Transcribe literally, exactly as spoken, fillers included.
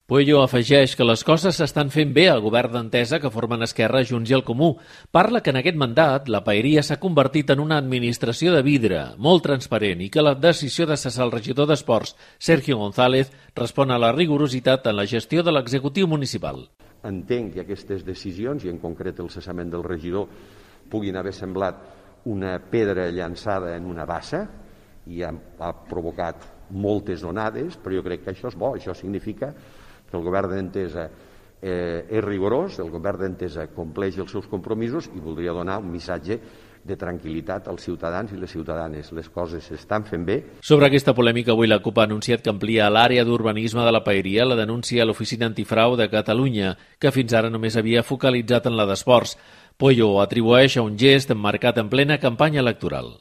Pueyo afegeix que les coses s'estan fent bé al govern d'Entesa que formen Esquerra, Junts i el Comú. Parla que en aquest mandat la paeria s'ha convertit en una administració de vidre, molt transparent, i que la decisió de cessar el regidor d'Esports, Sergio González, respon a la rigorositat en la gestió de l'executiu municipal. Entenc que aquestes decisions, i en concret el cessament del regidor, puguin haver semblat una pedra llançada en una bassa i ha, ha provocat moltes onades, però jo crec que això és bo, això significa que el govern d'Entesa eh, és rigorós, el govern d'Entesa compleix els seus compromisos i voldria donar un missatge de tranquil·litat als ciutadans i les ciutadanes. Les coses s'estan fent bé. Sobre aquesta polèmica, avui la CUP ha anunciat que amplia l'àrea d'urbanisme de la paeria la denúncia a l'Oficina Antifrau de Catalunya, que fins ara només havia focalitzat en la d'esports. Pueyo ho atribueix a un gest emmarcat en plena campanya electoral.